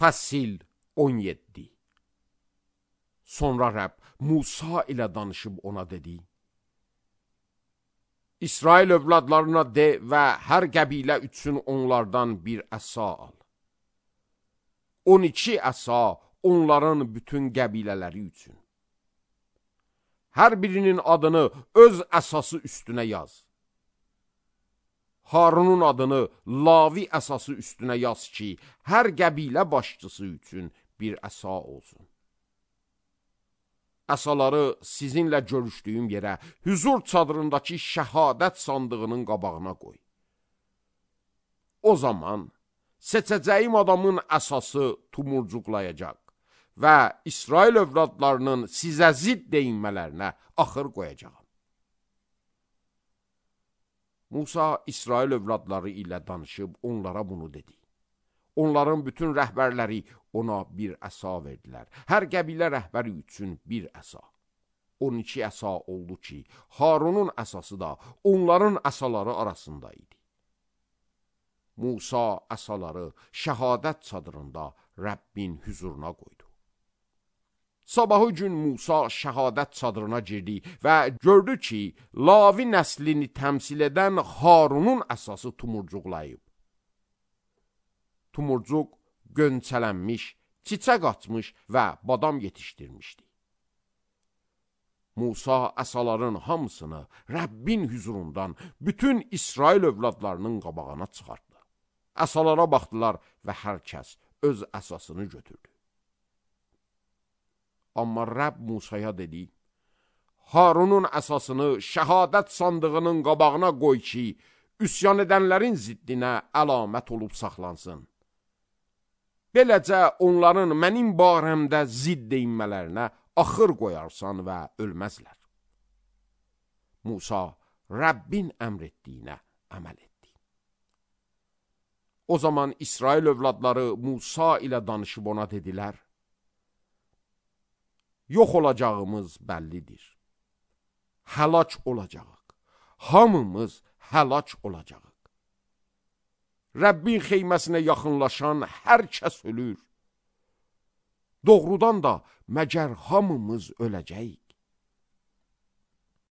Fəsil 17. Sonra Rəbb Musa ilə danışıb ona dedi: İsrail övladlarına de və hər qəbilə üçün onlardan bir əsa al. 12 əsa onların bütün qəbilələri üçün. Hər birinin adını öz əsası üstünə yaz. Harunun adını Lavi əsası üstünə yaz ki, hər qəbilə başçısı üçün bir əsa olsun. Əsaları sizinlə görüşdüyüm yerə, hüzur çadırındakı şəhadət sandığının qabağına qoy. O zaman seçəcəyim adamın əsası tumurcuqlayacaq və İsrail övladlarının sizə zidd deyinmələrinə axır qoyacağam. Musa İsrail övladları ilə danışıb onlara bunu dedi. Onların bütün rəhbərləri ona bir əsa verdilər. Hər qəbilə rəhbəri üçün bir əsa. 12 əsa oldu ki, Harunun əsası da onların əsaları arasında idi. Musa əsaları şəhadət çadırında Rəbbin hüzuruna qoydu. Sabahı gün Musa şəhadət çadırına girdi və gördü ki, Lavi nəslini təmsil edən Harunun əsası tumurcuqlayıb. Tumurcuq gönçələnmiş, çiçək açmış və badam yetişdirmişdi. Musa əsaların hamısını Rəbbin hüzurundan bütün İsrail övladlarının qabağına çıxartdı. Əsalara baxdılar və hər kəs öz əsasını götürdü. Amma Rəbb Musaya dedi: Harunun əsasını şəhadət sandığının qabağına qoy ki, üsyan edənlərin ziddinə əlamət olub saxlansın. Beləcə onların mənim barəmdə zidd deyinmələrinə axır qoyarsan və ölməzlər. Musa Rəbbin əmr etdiyinə əməl etdi. O zaman İsrail övladları Musa ilə danışıb ona dedilər: Yox olacağımız bəllidir. Həlak olacağıq. Hamımız həlak olacağıq. Rəbbin xeyməsinə yaxınlaşan hər kəs ölür. Doğrudan da məgər hamımız öləcəyik?